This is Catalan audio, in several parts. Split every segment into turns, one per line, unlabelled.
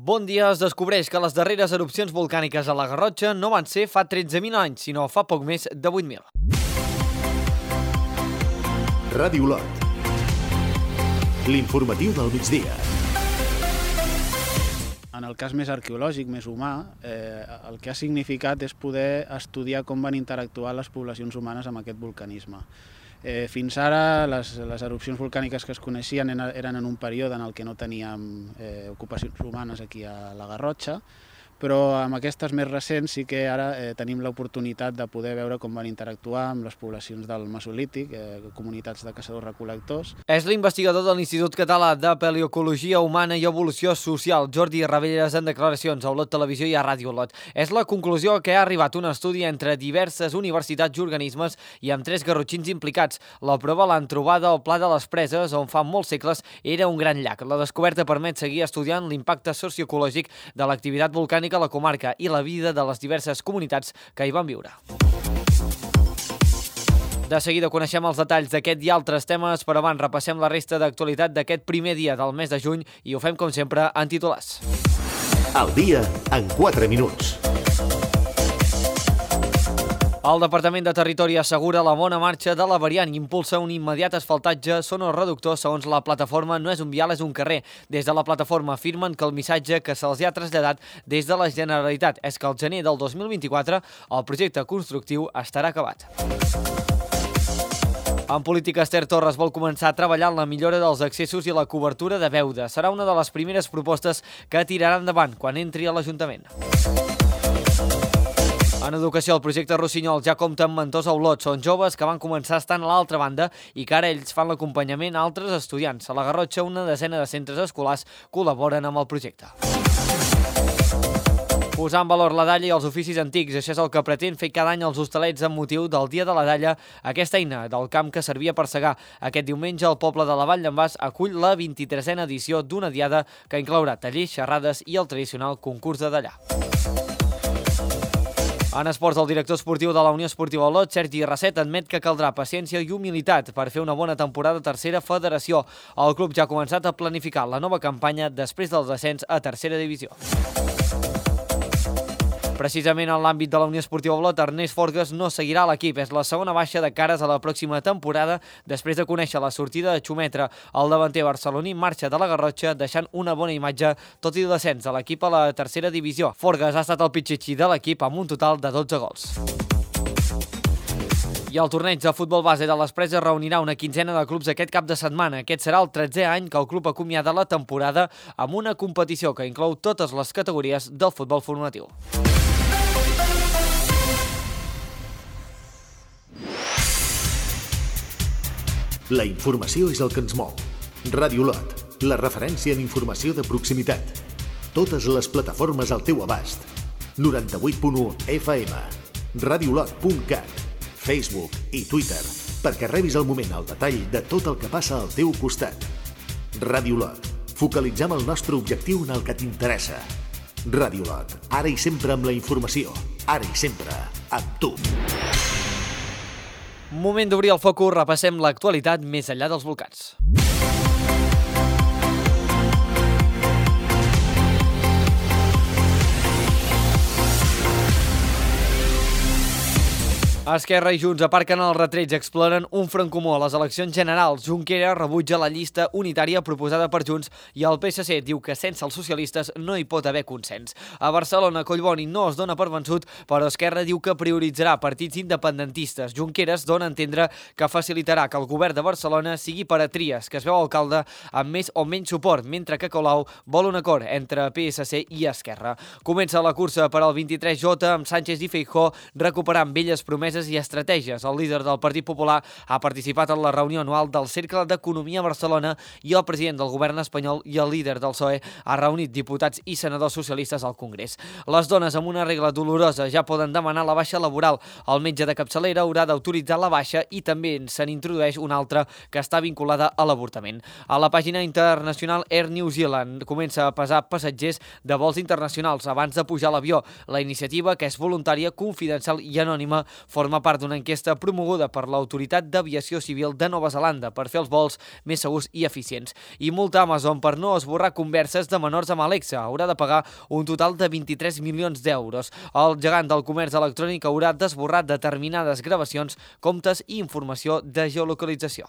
Bon dia. Es descobreix que les darreres erupcions volcàniques a la Garrotxa no van ser fa 13.000 anys, sinó fa poc més de 8.000.
Ràdio Lot. L'informatiu del migdia.
En el cas més arqueològic, més humà, el que ha significat és poder estudiar com van interactuar les poblacions humanes amb aquest vulcanisme. Fins ara, les erupcions volcàniques que es coneixien eren en un període en el que no teníem ocupacions humanes aquí a la Garrotxa, però amb aquestes més recents sí que ara tenim l'oportunitat de poder veure com van interactuar amb les poblacions del Mesolític, comunitats de caçadors-recol·lectors.
És l'investigador de l'Institut Català de Paleocologia Humana i Evolució Social, Jordi Ravelles, en declaracions a Olot Televisió i a Ràdio Olot. És la conclusió a què ha arribat un estudi entre diverses universitats i organismes i amb 3 garrotxins implicats. La prova l'han trobada al Pla de les Preses, on fa molts segles era un gran llac. La descoberta permet seguir estudiant l'impacte socioecològic de l'activitat volcànica a la comarca i la vida de les diverses comunitats que hi van viure. De seguida coneixem els detalls d'aquest i altres temes, però abans repassem la resta d'actualitat d'aquest primer dia del mes de juny i ho fem, com sempre, en titulars.
El dia en 4 minuts.
El Departament de Territori assegura la bona marxa de la variant i impulsa un immediat asfaltatge sonoreductor. Segons la plataforma, no és un vial, és un carrer. Des de la plataforma afirmen que el missatge que se'ls ha traslladat des de la Generalitat és que al gener del 2024 el projecte constructiu estarà acabat. En política, Esther Torres vol començar a treballar en la millora dels accessos i la cobertura de Beuda. Serà una de les primeres propostes que tirarà endavant quan entri a l'Ajuntament. En educació, el projecte Rossinyol ja compta amb mentors a Olot. Són joves que van començar estant a l'altra banda i que ara ells fan l'acompanyament a altres estudiants. A la Garrotxa, una desena de centres escolars col·laboren amb el projecte. Posar en valor la dalla i els oficis antics. Això és el que pretén fer cada any els hostalets amb motiu del Dia de la Dalla, aquesta eina del camp que servia per segar. Aquest diumenge, el poble de la Vall d'en Bas acull la 23a edició d'una diada que inclourà tallers, xerrades i el tradicional concurs de dallar. En esports, el director esportiu de la Unió Esportiva Olot, Sergi Rasset, admet que caldrà paciència i humilitat per fer una bona temporada a tercera federació. El club ja ha començat a planificar la nova campanya després del descens a tercera divisió. Precisament en l'àmbit de la Unió Esportiva Olot, Ernest Forgues no seguirà a l'equip. És la segona baixa de cares a la pròxima temporada després de conèixer la sortida de Xumetra. El davanter barceloní marxa de la Garrotxa deixant una bona imatge, tot i el descens de l'equip a la tercera divisió. Forgues ha estat el pitxitxí de l'equip amb un total de 12 gols. I el torneig de futbol base de les Preses reunirà una quinzena de clubs aquest cap de setmana. Aquest serà el 13è any que el club acomiada la temporada amb una competició que inclou totes les categories del futbol formatiu.
La informació és el que ens mou. Ràdio Lot, la referència en informació de proximitat. Totes les plataformes al teu abast. 98.1 FM, radiolot.cat, Facebook i Twitter, perquè rebis al moment el detall de tot el que passa al teu costat. Ràdio Lot, focalitzem el nostre objectiu en el que t'interessa. Ràdio Lot, ara i sempre amb la informació, ara i sempre amb tu.
Moment d'obrir el focus, repassem l'actualitat més enllà dels volcans. Esquerra i Junts aparquen els retrets, exploren un front comú a les eleccions generals. Junqueras rebutja la llista unitària proposada per Junts i el PSC diu que sense els socialistes no hi pot haver consens. A Barcelona, Collboni no es dona per vençut, però Esquerra diu que prioritzarà partits independentistes. Junqueras dona a entendre que facilitarà que el govern de Barcelona sigui per a Trias, que es veu alcalde amb més o menys suport, mentre que Colau vol un acord entre PSC i Esquerra. Comença la cursa per al 23J amb Sánchez i Feijóo recuperant velles promeses i estratègies. El líder del Partit Popular ha participat en la reunió anual del Cercle d'Economia a Barcelona i el president del govern espanyol i el líder del PSOE ha reunit diputats i senadors socialistes al Congrés. Les dones amb una regla dolorosa ja poden demanar la baixa laboral. El metge de capçalera haurà d'autoritzar la baixa i també se n'introdueix una altra que està vinculada a l'avortament. A la pàgina internacional Air New Zealand comença a pesar passatgers de vols internacionals abans de pujar a l'avió. La iniciativa, que és voluntària, confidencial i anònima, forma forma part d'una enquesta promoguda per l'Autoritat d'Aviació Civil de Nova Zelanda per fer els vols més segurs i eficients. I multa Amazon per no esborrar converses de menors amb Alexa. Haurà de pagar un total de 23 milions d'euros. El gegant del comerç electrònic haurà d'esborrar determinades gravacions, comptes i informació de geolocalització.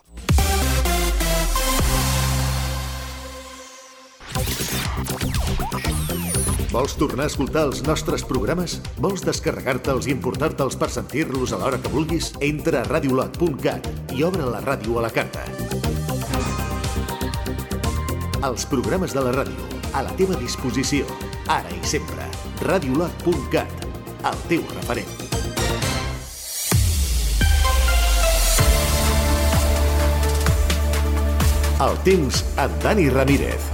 Vols tornar a escoltar els nostres programes? Vols descarregar-te'ls i importar-te'ls per sentir-los a l'hora que vulguis? Entra a radiolot.cat i obre la ràdio a la carta. Els programes de la ràdio, a la teva disposició, ara i sempre. Radiolot.cat, el teu referent. El temps amb Dani Ramírez.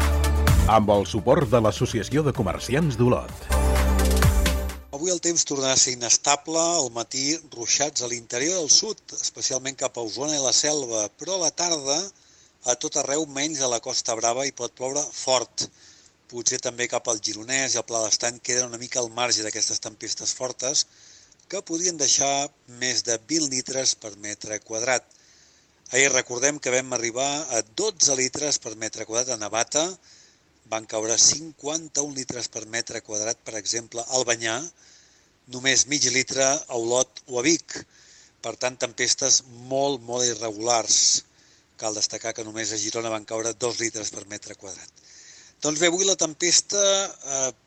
Amb el suport de l'Associació de Comerciants d'Olot.
Avui el temps tornarà a ser inestable, al matí ruixats a l'interior del sud, especialment cap a Osona i la Selva, però a la tarda a tot arreu menys a la Costa Brava hi pot ploure fort. Potser també cap al Gironès i al Pla d'Estany queden una mica al marge d'aquestes tempestes fortes que podrien deixar més de 20 litres per metre quadrat. Ahir recordem que vam arribar a 12 litres per metre quadrat a Navata, van caure 51 litres per metre quadrat, per exemple, al Banyà, només mig litre a Olot o a Vic. Per tant, tempestes molt irregulars. Cal destacar que només a Girona van caure 2 litres per metre quadrat. Doncs bé, avui la tempesta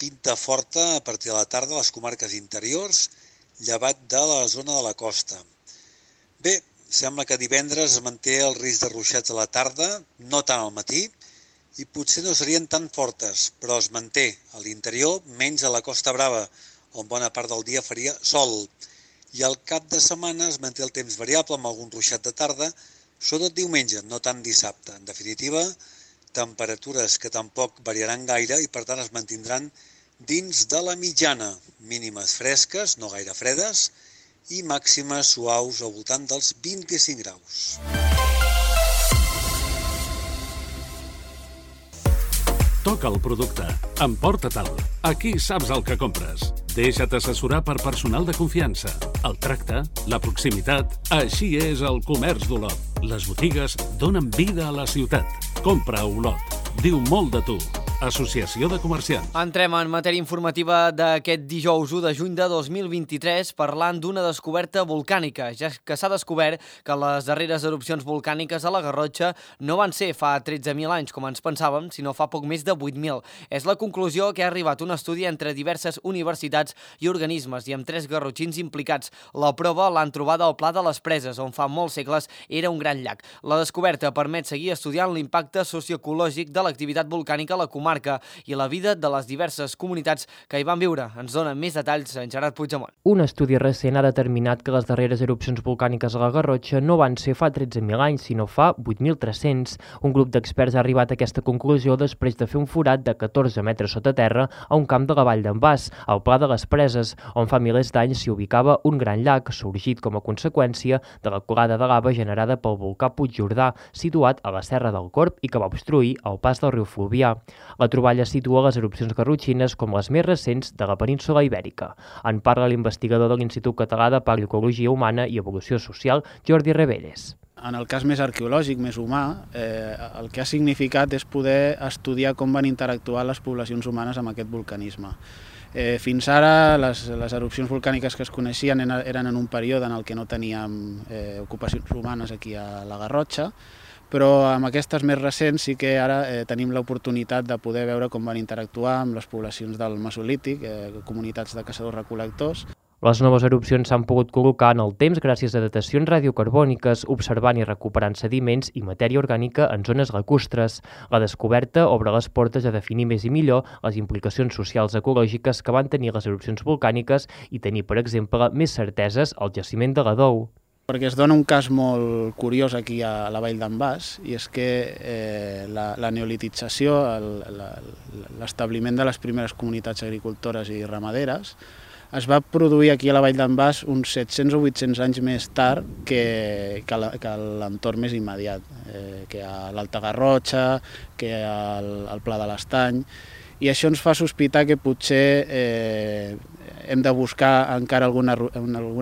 pinta forta a partir de la tarda a les comarques interiors, llevat de la zona de la costa. Bé, sembla que divendres es manté el risc de ruixats a la tarda, no tant al matí, i potser no serien tan fortes, però es manté a l'interior, menys a la Costa Brava, on bona part del dia faria sol. I al cap de setmana es manté el temps variable amb algun ruixat de tarda, sobretot diumenge, no tant dissabte. En definitiva, temperatures que tampoc variaran gaire i per tant es mantindran dins de la mitjana. Mínimes fresques, no gaire fredes, i màximes suaus al voltant dels 25 graus.
Toca el producte. Emporta-te'l. Aquí saps el que compres. Deixa't assessorar per personal de confiança. El tracte, la proximitat... Així és el comerç d'Olot. Les botigues donen vida a la ciutat. Compra a Olot. Diu molt de tu. Associació de Comerciants.
Entrem en matèria informativa d'aquest dijous 1 de juny de 2023 parlant d'una descoberta volcànica, ja que s'ha descobert que les darreres erupcions volcàniques a la Garrotxa no van ser fa 13.000 anys, com ens pensàvem, sinó fa poc més de 8.000. És la conclusió que ha arribat un estudi entre diverses universitats i organismes i amb 3 garrotxins implicats. La prova l'han trobada al Pla de les Preses, on fa molts segles era un gran llac. La descoberta permet seguir estudiant l'impacte socioecològic de l'activitat volcànica a la comarca i la vida de les diverses comunitats que hi van viure. Ens dona més detalls en Gerard Puigdemont.
Un estudi recent ha determinat que les darreres erupcions volcàniques a la Garrotxa no van ser fa 13.000 anys, sinó fa 8.300. Un grup d'experts ha arribat a aquesta conclusió després de fer un forat de 14 metres sota terra a un camp de la vall d'en Bas, al Pla de les Preses, on fa milers d'anys s'hi ubicava un gran llac, sorgit com a conseqüència de la colada de lava generada pel volcà Puigjordà, situat a la Serra del Corb i que va obstruir el pas del riu Fluvià. La troballa situa les erupcions garrotxines com les més recents de la península Ibèrica. En parla l'investigador de l'Institut Català de Paleoecologia Humana i Evolució Social, Jordi Reveres.
En el cas més arqueològic, més humà, el que ha significat és poder estudiar com van interactuar les poblacions humanes amb aquest volcanisme. Fins ara, les erupcions volcàniques que es coneixien eren en un període en el que no teníem ocupacions humanes aquí a la Garrotxa, però amb aquestes més recents sí que ara tenim l'oportunitat de poder veure com van interactuar amb les poblacions del Mesolític, comunitats de caçadors-recol·lectors.
Les noves erupcions s'han pogut col·locar en el temps gràcies a datacions radiocarbòniques, observant i recuperant sediments i matèria orgànica en zones lacustres. La descoberta obre les portes a definir més i millor les implicacions socials ecològiques que van tenir les erupcions volcàniques i tenir, per exemple, més certeses al jaciment de la Dou.
Perquè es dona un cas molt curiós aquí a la vall d'en Bas, i és que la neolitització, l'establiment de les primeres comunitats agricultores i ramaderes, es va produir aquí a la vall d'en Bas uns 700 o 800 anys més tard que l'entorn més immediat, que a l'Alta Garrotxa, que al Pla de l'Estany. I això ens fa sospitar que potser hem de buscar encara alguna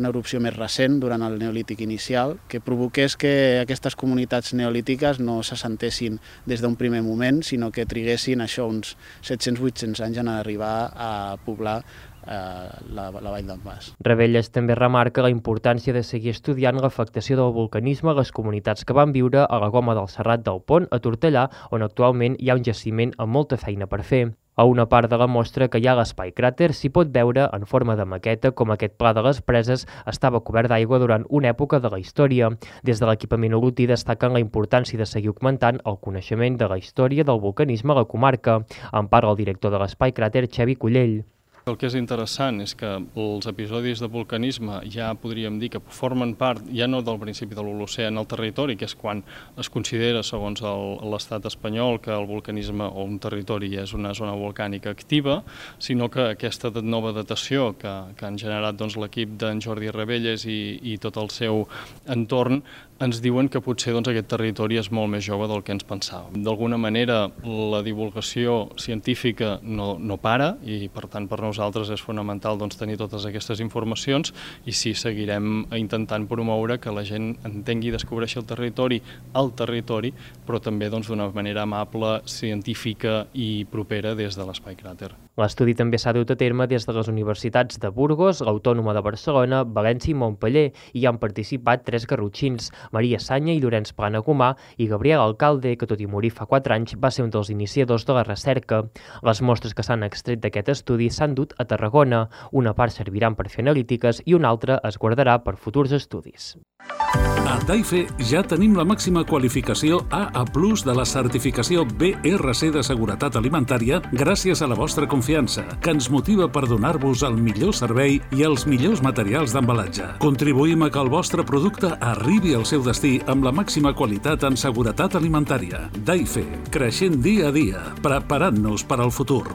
erupció més recent durant el neolític inicial que provoqués que aquestes comunitats neolítiques no s'assentessin des d'un primer moment, sinó que triguessin això uns 700-800 anys en arribar a poblar la vall d'en Bas.
Ravelles també remarca la importància de seguir estudiant l'afectació del vulcanisme a les comunitats que van viure a la Goma del Serrat del Pont, a Tortellà, on actualment hi ha un jaciment amb molta feina per fer. A una part de la mostra que hi ha a l'espai cràter s'hi pot veure en forma de maqueta com aquest pla de les preses estava cobert d'aigua durant una època de la història. Des de l'equipament Oluti destaquen la importància de seguir augmentant el coneixement de la història del vulcanisme a la comarca. En parla el director de l'espai cràter, Xavi Cullell.
El que és interessant és que els episodis de vulcanisme ja podríem dir que formen part, ja no del principi de l'Holocè en el territori, que és quan es considera, segons l'estat espanyol, que el vulcanisme o un territori és una zona volcànica activa, sinó que aquesta nova datació que han generat l'equip d'en Jordi Ravelles i tot el seu entorn ens diuen que potser aquest territori és molt més jove del que ens pensàvem. D'alguna manera, la divulgació científica no para i, per tant, per nosaltres és fonamental tenir totes aquestes informacions i sí, seguirem intentant promoure que la gent entengui i descobreixi el territori, però també d'una manera amable, científica i propera des de l'Espai Cràter.
L'estudi també s'ha dut a terme des de les universitats de Burgos, l'Autònoma de Barcelona, València i Montpeller, i hi han participat 3 garrotxins, Maria Sanya i Llorenç Planagumà i Gabriel Alcalde, que tot i morir fa 4 anys va ser un dels iniciadors de la recerca. Les mostres que s'han extret d'aquest estudi s'han dut a Tarragona. Una part serviran per fer analítiques i una altra es guardarà per futurs estudis.
A Daife ja tenim la màxima qualificació AA+ de la certificació BRC de seguretat alimentària gràcies a la vostra confiança, que ens motiva per donar-vos el millor servei i els millors materials d'embalatge. Contribuïm a que el vostre producte arribi al seu destí amb la màxima qualitat en seguretat alimentària. Daife, creixent dia a dia, preparant-nos per al futur.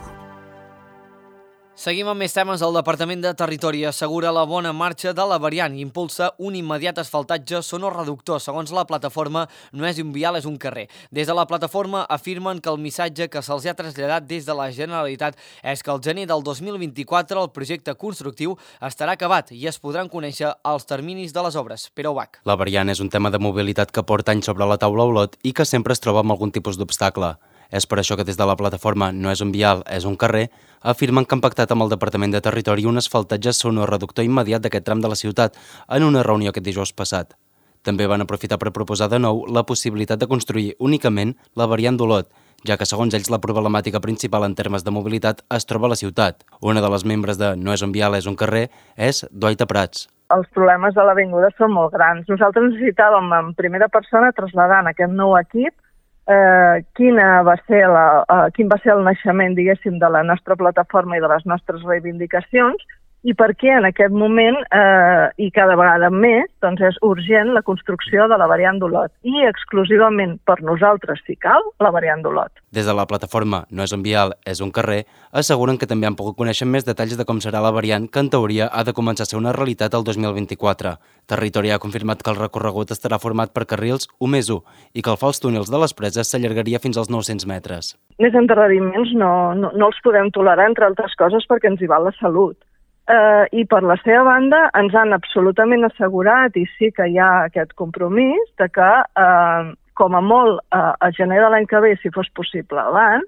Seguim amb més temes. El Departament de Territori assegura la bona marxa de la variant i impulsa un immediat asfaltatge sonoreductor. Segons la plataforma, no és un vial, és un carrer. Des de la plataforma afirmen que el missatge que se'ls ha traslladat des de la Generalitat és que al gener del 2024 el projecte constructiu estarà acabat i es podran conèixer els terminis de les obres. Pere Ubach.
La variant és un tema de mobilitat que porta anys sobre la taula a Olot i que sempre es troba amb algun tipus d'obstacle. És per això que des de la plataforma No és un vial, és un carrer, afirmen que han pactat amb el Departament de Territori un asfaltatge sonoreductor immediat d'aquest tram de la ciutat en una reunió aquest dijous passat. També van aprofitar per proposar de nou la possibilitat de construir únicament la variant d'Olot, ja que segons ells la problemàtica principal en termes de mobilitat es troba a la ciutat. Una de les membres de No és un vial, és un carrer és Duaita Prats.
Els problemes de l'avinguda són molt grans. Nosaltres necessitàvem en primera persona traslladar en aquest nou equip quin va ser el naixement, diguéssim, de la nostra plataforma i de les nostres reivindicacions i per què en aquest moment, i cada vegada més, doncs és urgent la construcció de la variant d'Olot i exclusivament per nosaltres, si cal, la variant d'Olot.
Des de la plataforma No és un vial, és un carrer, asseguren que també han pogut conèixer més detalls de com serà la variant, que en teoria ha de començar a ser una realitat el 2024. Territori ha confirmat que el recorregut estarà format per carrils 1+1 i que el fals túnels de les preses s'allargaria fins als 900 metres.
Més endarreriments no els podem tolerar, entre altres coses, perquè ens hi va la salut. I per la seva banda ens han absolutament assegurat, i sí que hi ha aquest compromís, de que com a molt a gener de l'any que ve, si fos possible abans,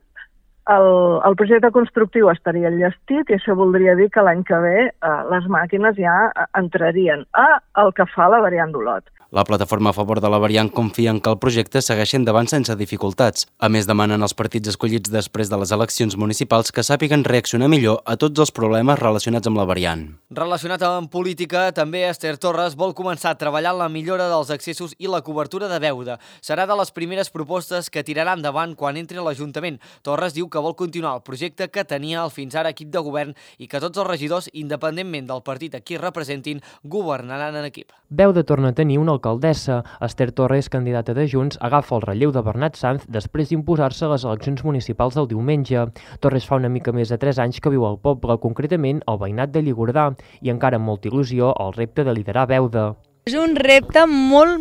el projecte constructiu estaria enllestit i això voldria dir que l'any que ve les màquines ja entrarien al que fa la variant d'Olot.
La plataforma a favor de la variant confia en que el projecte segueixi endavant sense dificultats. A més, demanen als partits escollits després de les eleccions municipals que sàpiguen reaccionar millor a tots els problemes relacionats amb la variant.
Relacionat amb política, també Esther Torres vol començar a treballar en la millora dels accessos i la cobertura de Beuda. Serà de les primeres propostes que tirarà endavant quan entri a l'Ajuntament. Torres diu que vol continuar el projecte que tenia el fins ara equip de govern i que tots els regidors, independentment del partit a qui representin, governaran en equip.
Beuda torna a tenir una alcaldessa. Esther Torres, candidata de Junts, agafa el relleu de Bernat Sanz després d'imposar-se a les eleccions municipals del diumenge. Torres fa una mica més de 3 anys que viu al poble, concretament al veïnat de Lligordà, i encara amb molta il·lusió el repte de liderar Beuda.
És un repte molt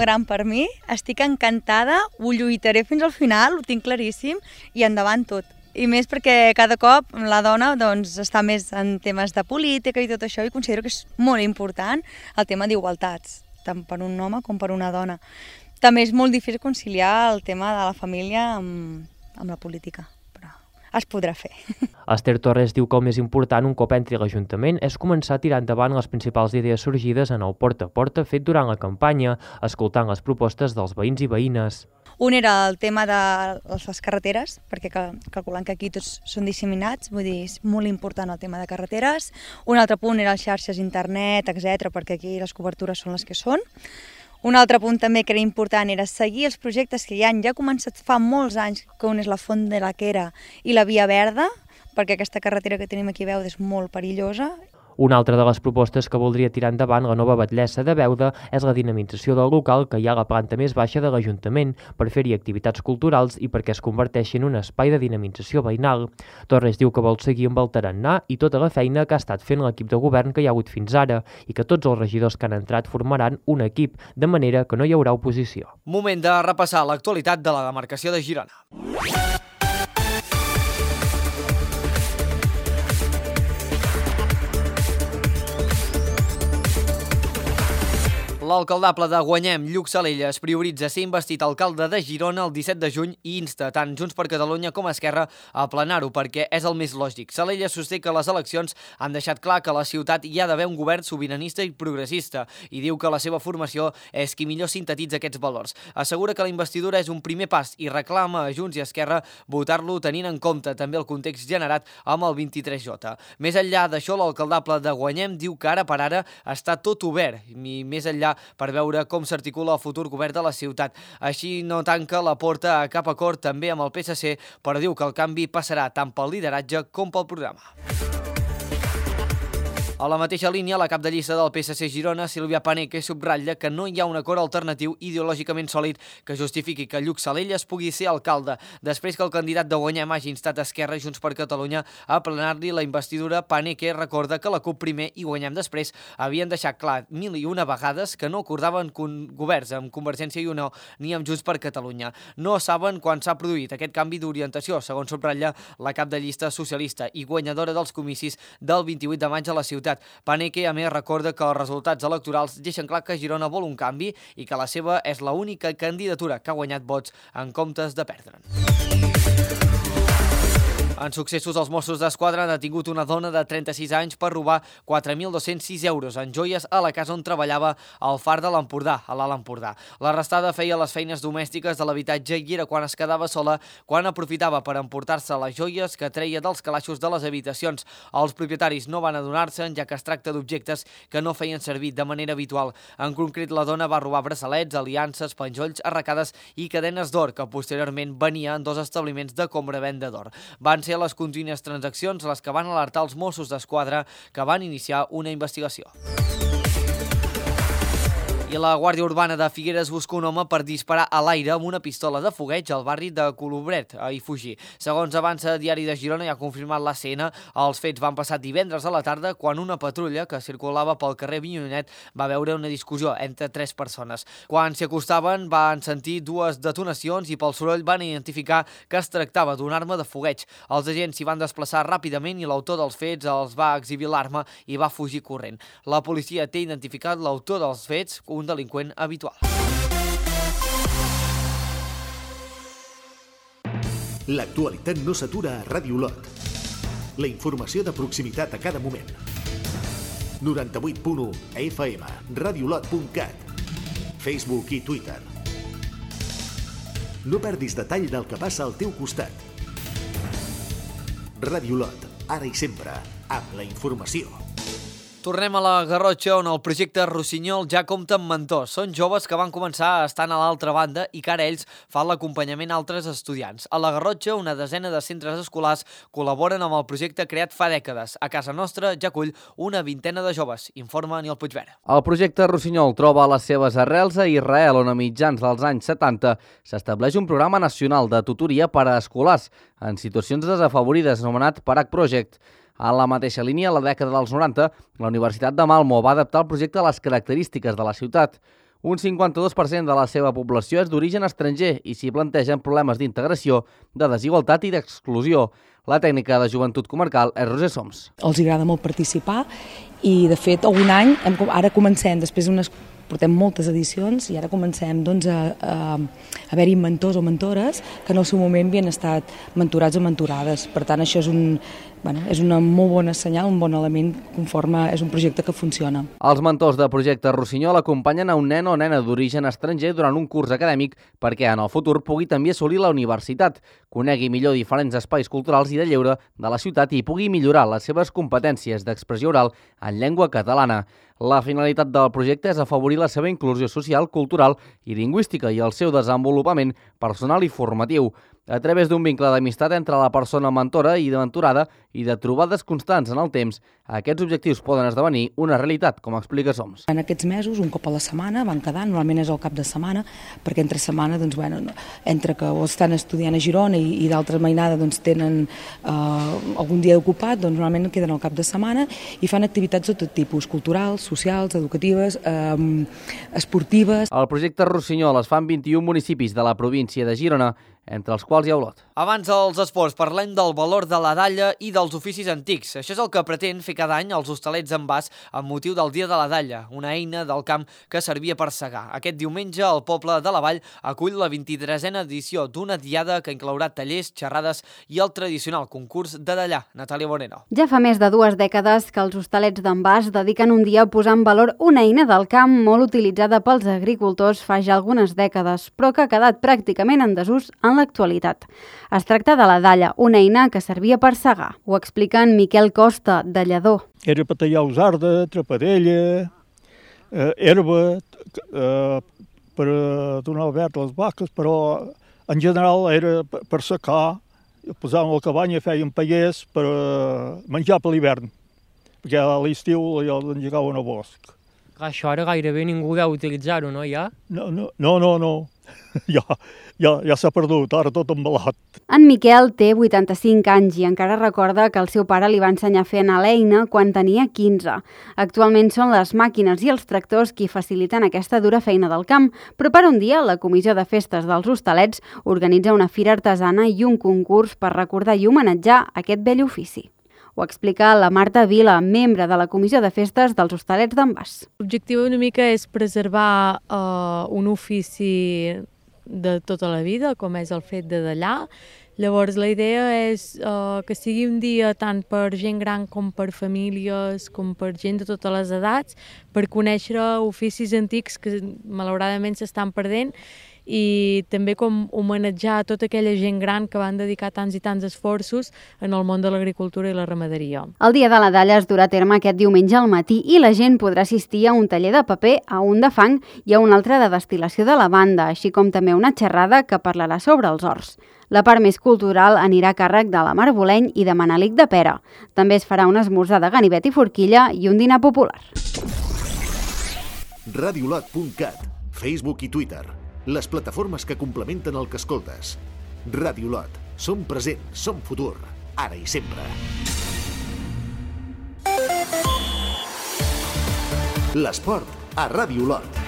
gran per mi. Estic encantada, ho lluitaré fins al final, ho tinc claríssim, i endavant tot. I més perquè cada cop la dona doncs, està més en temes de política i tot això, i considero que és molt important el tema d'igualtats, tant per un home com per una dona. També és molt difícil conciliar el tema de la família amb la política, però es podrà fer.
Esther Torres diu que el més important un cop entri a l'Ajuntament és començar a tirar endavant les principals idees sorgides en el porta a porta fet durant la campanya, escoltant les propostes dels veïns i veïnes.
Un era el tema de les carreteres, perquè calculant que aquí tots són disseminats, vull dir, és molt important el tema de carreteres. Un altre punt era les xarxes internet, etc, perquè aquí les cobertures són les que són. Un altre punt també que era important era seguir els projectes que ja han començat fa molts anys, que un és la Font de la Quera i la Via Verda, perquè aquesta carretera que tenim aquí a Beuda és molt perillosa.
Una altra de les propostes que voldria tirar endavant la nova batllessa de Beuda és la dinamització del local que hi ha a la planta més baixa de l'Ajuntament per fer-hi activitats culturals i perquè es converteixi en un espai de dinamització veïnal. Torres diu que vol seguir amb el tarannà i tota la feina que ha estat fent l'equip de govern que hi ha hagut fins ara i que tots els regidors que han entrat formaran un equip, de manera que no hi haurà oposició.
Moment de repassar l'actualitat de la demarcació de Girona. L'alcaldable de Guanyem, Lluc Salelles, prioritza ser investit alcalde de Girona el 17 de juny i insta tant Junts per Catalunya com Esquerra a plenar-ho perquè és el més lògic. Salelles sosté que les eleccions han deixat clar que a la ciutat hi ha d'haver un govern sobiranista i progressista i diu que la seva formació és qui millor sintetitza aquests valors. Assegura que la investidura és un primer pas i reclama a Junts i Esquerra votar-lo tenint en compte també el context generat amb el 23J. Més enllà d'això, l'alcaldable de Guanyem diu que ara per ara està tot obert i més enllà per veure com s'articula el futur govern de la ciutat. Així no tanca la porta a cap acord també amb el PSC, però diu que el canvi passarà tant pel lideratge com pel programa. A la mateixa línia, la cap de llista del PSC Girona, Sílvia Paneque, subratlla que no hi ha un acord alternatiu ideològicament sòlid que justifiqui que Lluc Salelles pugui ser alcalde. Després que el candidat de Guanyem hagi instat Esquerra i Junts per Catalunya a plenar-li la investidura, Paneque recorda que la CUP primer i Guanyem després havien deixat clar 1001 vegades que no acordaven governs amb Convergència i Unió ni amb Junts per Catalunya. No saben quan s'ha produït aquest canvi d'orientació, segons subratlla la cap de llista socialista i guanyadora dels comicis del 28 de maig a la ciutat. Paneque, a més, recorda que els resultats electorals deixen clar que Girona vol un canvi i que la seva és l'única candidatura que ha guanyat vots en comptes de perdre'n. En successos, els Mossos d'Esquadra han detingut una dona de 36 anys per robar 4.206 euros en joies a la casa on treballava al Far de l'Empordà, a l'Alt Empordà. L'arrestada feia les feines domèstiques de l'habitatge i era quan es quedava sola, quan aprofitava per emportar-se les joies que treia dels calaixos de les habitacions. Els propietaris no van adonar-se'n, ja que es tracta d'objectes que no feien servir de manera habitual. En concret, la dona va robar braçalets, aliances, penjolls, arracades i cadenes d'or, que posteriorment venia en 2 establiments de compra-venda d'or. Van ser les contínues transaccions les que van alertar els Mossos d'Esquadra, que van iniciar una investigació. I la Guàrdia Urbana de Figueres busca un home per disparar a l'aire amb una pistola de fogueig al barri de Colobret, a Ifugir. Segons avança Diari de Girona i ha confirmat l'ACN, els fets van passar divendres a la tarda quan una patrulla que circulava pel carrer Vinyonet va veure una discussió entre 3 persones. Quan s'hi acostaven van sentir 2 detonacions i pel soroll van identificar que es tractava d'una arma de fogueig. Els agents s'hi van desplaçar ràpidament i l'autor dels fets els va exhibir l'arma i va fugir corrent. La policia té identificat l'autor dels fets, un delinqüent habitual.
L'actualitat no s'atura a Ràdio Lot. La informació de proximitat a cada moment. 98.1 FM, radiolot.cat, Facebook i Twitter. No perdis detall del que passa al teu costat. Ràdio Lot, ara i sempre, amb la informació.
Tornem a la Garrotxa, on el projecte Rossinyol ja compta amb mentors. Són joves que van començar estant a l'altra banda i que ara ells fan l'acompanyament a altres estudiants. A la Garrotxa, una desena de centres escolars col·laboren amb el projecte creat fa dècades. A casa nostra ja acull una vintena de joves, informa Aniol Puigverd.
El projecte Rossinyol troba les seves arrels a Israel, on a mitjans dels anys 70 s'estableix un programa nacional de tutoria per a escolars en situacions desafavorides anomenat Parak Project. A la mateixa línia, a la dècada dels 90, la Universitat de Malmo va adaptar el projecte a les característiques de la ciutat. Un 52% de la seva població és d'origen estranger i s'hi plantegen problemes d'integració, de desigualtat i d'exclusió. La tècnica de Joventut Comarcal és Roser Soms.
Els agrada molt participar i, de fet, algun any, ara comencem, després portem moltes edicions i ara comencem a haver-hi mentors o mentores que en el seu moment havien estat mentorats o mentorades. Per tant, això és una molt bona senyal, un bon element conforme és un projecte que funciona.
Els mentors del projecte Rossinyol acompanyen a un nen o nena d'origen estranger durant un curs acadèmic perquè en el futur pugui també assolir la universitat, conegui millor diferents espais culturals i de lleure de la ciutat i pugui millorar les seves competències d'expressió oral en llengua catalana. La finalitat del projecte és afavorir la seva inclusió social, cultural i lingüística i el seu desenvolupament personal i formatiu. A través d'un vincle d'amistat entre la persona mentora i de mentorada i de trobades constants en el temps, aquests objectius poden esdevenir una realitat, com explica Soms.
En aquests mesos, un cop a la setmana, van quedar, normalment és el cap de setmana, perquè entre setmana, entre que o estan estudiant a Girona i d'altra mainada tenen algun dia ocupat, normalment queden al cap de setmana i fan activitats de tot tipus, culturals, socials, educatives, esportives.
El projecte Rossinyol es fa en 21 municipis de la província de Girona, entre els quals hi ha Olot.
Abans dels esports parlem del valor de la dalla i dels oficis antics. Això és el que pretén fer cada any els Hostalets d'en Bas amb motiu del Dia de la Dalla, una eina del camp que servia per segar. Aquest diumenge el poble de la Vall acull la 23a edició d'una diada que inclourà tallers, xerrades i el tradicional concurs de dallar. Natàlia Moreno.
Ja fa més de 2 dècades que els Hostalets d'en Bas dediquen un dia a posar en valor una eina del camp molt utilitzada pels agricultors fa ja algunes dècades, però que ha quedat pràcticament en desús en l'actualitat. Es tracta de la dalla, una eina que servia per segar. Ho explica en Miquel Costa, dallador.
Era per tallar usarda, trapadella, herba, per donar el verd a les vaques, però en general era per secar, posàvem la cabanya, fèiem pallers per menjar per l'hivern, perquè a l'estiu els engegaven al bosc.
Això ara gairebé ningú deu utilitzar-ho, no, ja?
No. Ja s'ha perdut, ara tot embalat.
En Miquel té 85 anys i encara recorda que el seu pare li va ensenyar a fer anar l'eina quan tenia 15. Actualment són les màquines i els tractors qui faciliten aquesta dura feina del camp, però per un dia la Comissió de Festes dels Hostalets organitza una fira artesana i un concurs per recordar i homenatjar aquest vell ofici. Ho explica la Marta Vila, membre de la Comissió de Festes dels Hostalets d'en Bas.
L'objectiu una mica és preservar un ofici de tota la vida, com és el fet de dallar. Llavors la idea és que sigui un dia tant per gent gran com per famílies, com per gent de totes les edats, per conèixer oficis antics que malauradament s'estan perdent i també com homenatjar a tota aquella gent gran que van dedicar tants i tants esforços en el món de l'agricultura i la ramaderia.
El Dia de la Dalla es durà a terme aquest diumenge al matí i la gent podrà assistir a un taller de paper, a un de fang i a un altre de destil·lació de lavanda, així com també una xerrada que parlarà sobre els horts. La part més cultural anirà a càrrec de la Mar Boleny i de Manelic de Pera. També es farà un esmorzar de ganivet i forquilla i un dinar popular.
Radiolot.cat, Facebook i Twitter. Les plataformes que complementen el que escoltes. Radiolot. Som present, som futur, ara i sempre. L'esport a Radiolot.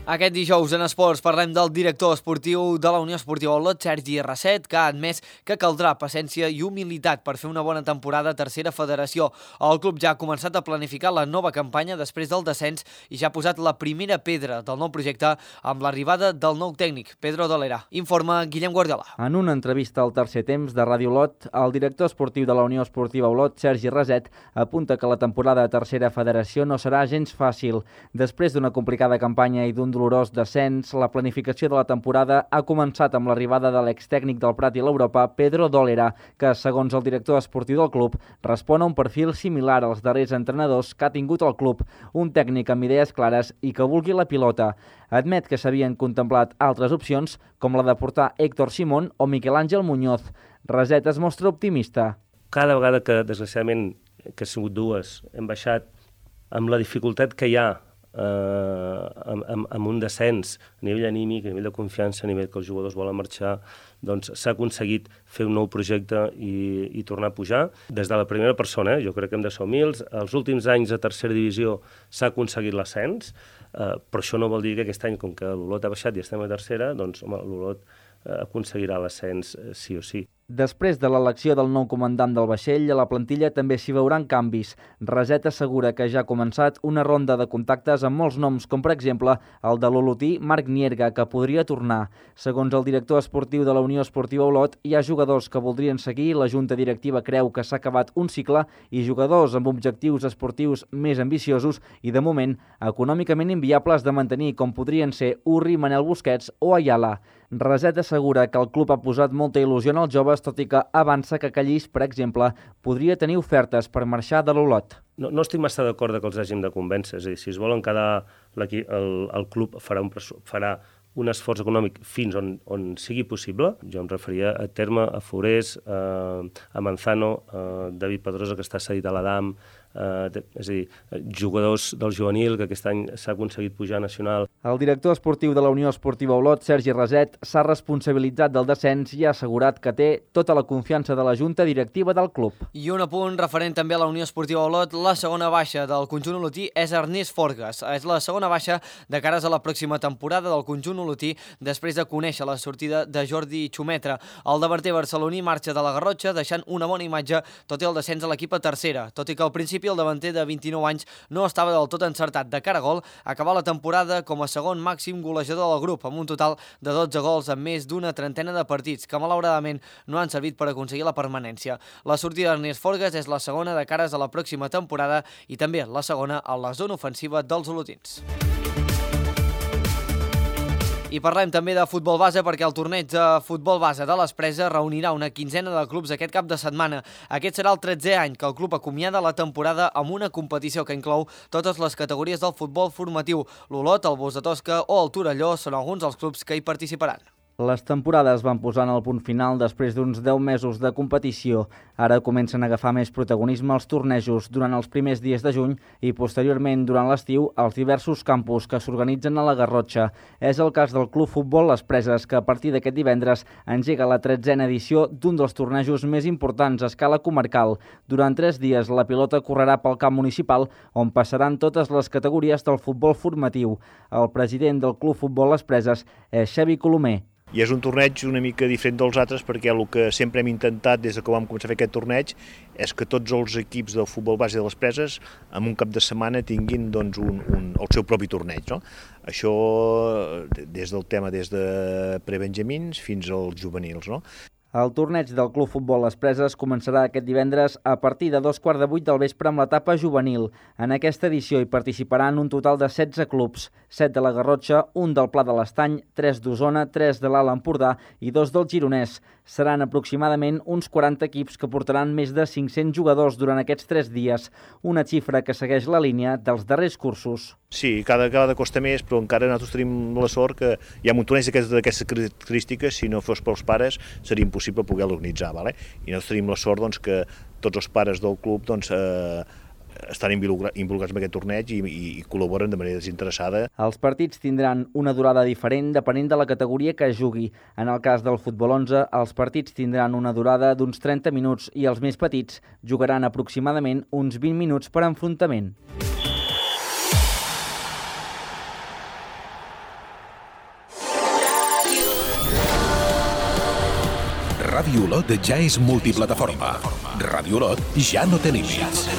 Aquest dijous en Esports parlem del director esportiu de la Unió Esportiva Olot, Sergi Rasset, que ha admès que caldrà paciència i humilitat per fer una bona temporada a tercera federació. El club ja ha començat a planificar la nova campanya després del descens i ja ha posat la primera pedra del nou projecte amb l'arribada del nou tècnic, Pedro Dolera. Informa Guillem Guardiola.
En una entrevista al Tercer Temps de Ràdio Olot, el director esportiu de la Unió Esportiva Olot, Sergi Rasset, apunta que la temporada a tercera federació no serà gens fàcil. Després d'una complicada campanya i d'un dolorós descens, la planificació de la temporada ha començat amb l'arribada de l'extècnic del Prat i l'Europa, Pedro Dolera, que, segons el director esportiu del club, respon a un perfil similar als darrers entrenadors que ha tingut el club, un tècnic amb idees clares i que vulgui la pilota. Admet que s'havien contemplat altres opcions, com la de portar Héctor Simón o Miquel Àngel Muñoz. Rasset es mostra optimista.
Cada vegada que, desgraciadament, que han sigut dues, hem baixat amb la dificultat que hi ha amb un descens a nivell anímic, a nivell de confiança, a nivell que els jugadors volen marxar, doncs s'ha aconseguit fer un nou projecte i tornar a pujar. Des de la primera persona, jo crec que hem de ser humils, els últims anys a tercera divisió s'ha aconseguit l'ascens, però això no vol dir que aquest any, com que l'Olot ha baixat i estem a tercera, doncs l'Olot aconseguirà l'ascens sí o sí.
Després de l'elecció del nou comandant del vaixell, a la plantilla també s'hi veuran canvis. Raset assegura que ja ha començat una ronda de contactes amb molts noms, com per exemple el de l'olotí Marc Nierga, que podria tornar. Segons el director esportiu de la Unió Esportiva Olot, hi ha jugadors que voldrien seguir, la junta directiva creu que s'ha acabat un cicle i jugadors amb objectius esportius més ambiciosos i, de moment, econòmicament inviables de mantenir, com podrien ser Urri, Manel Busquets o Ayala. Raset assegura que el club ha posat molta il·lusió en els joves, tot i que avança que Callís, per exemple, podria tenir ofertes per marxar de l'Olot.
No estic massa d'acord que els hàgim de convèncer. És a dir, si es volen quedar, el club farà un esforç econòmic fins on sigui possible. Jo em referia a Terme, a Forés, a Manzano, a David Pedrosa, que està cedit a l'Adam, és a dir, jugadors del juvenil, que aquest any s'ha aconseguit pujar a nacional.
El director esportiu de la Unió Esportiva Olot, Sergi Raset, s'ha responsabilitzat del descens i ha assegurat que té tota la confiança de la junta directiva del club.
I un apunt referent també a la Unió Esportiva Olot, la segona baixa del conjunt olotí és Ernest Forgas. És la segona baixa de cares a la pròxima temporada del conjunt olotí després de conèixer la sortida de Jordi Xumetra. El davanter barceloní marxa de la Garrotxa deixant una bona imatge tot i el descens a l'equip a tercera, tot i que al principi el davanter de 29 anys no estava del tot encertat de cara a gol, acabar la temporada com a segon màxim golejador del grup, amb un total de 12 gols en més d'una trentena de partits, que malauradament no han servit per aconseguir la permanència. La sortida d'Ernest Forgas és la segona de cares a la pròxima temporada i també la segona a la zona ofensiva dels olotins. I parlem també de futbol base perquè el torneig de futbol base de les Preses reunirà una quinzena de clubs aquest cap de setmana. Aquest serà el 13è any que el club acomiada la temporada amb una competició que inclou totes les categories del futbol formatiu. L'Olot, el Bos de Tosca o el Torelló són alguns dels clubs que hi participaran.
Les temporades van posant el punt final després d'uns 10 mesos de competició. Ara comencen a agafar més protagonisme els tornejos durant els primers dies de juny i posteriorment durant l'estiu als diversos campus que s'organitzen a la Garrotxa. És el cas del Club Futbol Les Preses, que a partir d'aquest divendres engega la 13a edició d'un dels tornejos més importants a escala comarcal. Durant 3 dies la pilota correrà pel camp municipal on passaran totes les categories del futbol formatiu. El president del Club Futbol Les Preses és Xavi Colomer.
I és un torneig una mica diferent dels altres perquè el que sempre hem intentat des que vam començar a fer aquest torneig és que tots els equips del futbol base de les Preses en un cap de setmana tinguin doncs, el seu propi torneig. No? Això des del tema des de prebenjamins fins als juvenils. No?
El torneig del Club Futbol Les Preses començarà aquest divendres a partir de 2:15 del vespre amb l'etapa juvenil. En aquesta edició hi participaran un total de 16 clubs, 7 de la Garrotxa, 1 del Pla de l'Estany, 3 d'Osona, 3 de l'Alt Empordà i 2 del Gironès. Seran aproximadament uns 40 equips que portaran més de 500 jugadors durant aquests 3 dies, una xifra que segueix la línia dels darrers cursos.
Sí, cada costa més, però encara nosaltres tenim la sort que hi ha un torneig d'aquestes característiques, si no fos pels pares seria impossible poder-lo organitzar. Vale? I nosaltres tenim la sort doncs, que tots els pares del club doncs, estan involucrats en aquest torneig i col·laboren de manera desinteressada.
Els partits tindran una durada diferent depenent de la categoria que es jugui. En el cas del futbol 11, els partits tindran una durada d'uns 30 minuts i els més petits jugaran aproximadament uns 20 minuts per enfrontament.
Ràdio Olot ja és multiplataforma. Ràdio Olot ja no té límits.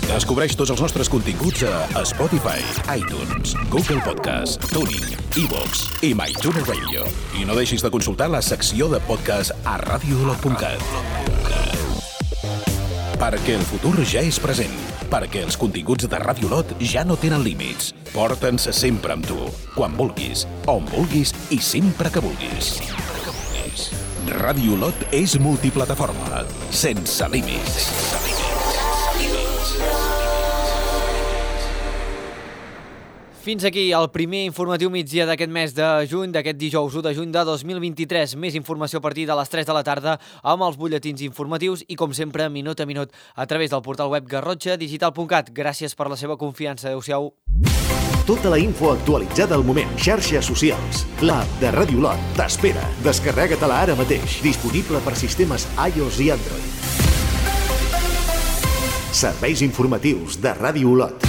Descobreix tots els nostres continguts a Spotify, iTunes, Google Podcast, TuneIn, iVoox i MyTuner Radio. I no deixis de consultar la secció de podcast a radioolot.cat. Perquè el futur ja és present. Perquè els continguts de Ràdio Olot ja no tenen límits. Porta'ns sempre amb tu, quan vulguis, on vulguis i sempre que vulguis. Ràdio Olot és multiplataforma, sense límits.
Fins aquí el primer informatiu migdia d'aquest mes de juny, d'aquest dijous 1 de juny de 2023. Més informació a partir de les 3 de la tarda amb els butlletins informatius i, com sempre, minut a minut a través del portal web garrotxadigital.cat. Gràcies per la seva confiança. Adéu-siau.
Tota la info actualitzada al moment. Xarxes socials. L'app de Radio Lot t'espera. Descarrega-te-la ara mateix. Disponible per sistemes iOS i Android. Serveis informatius de Radio Lot.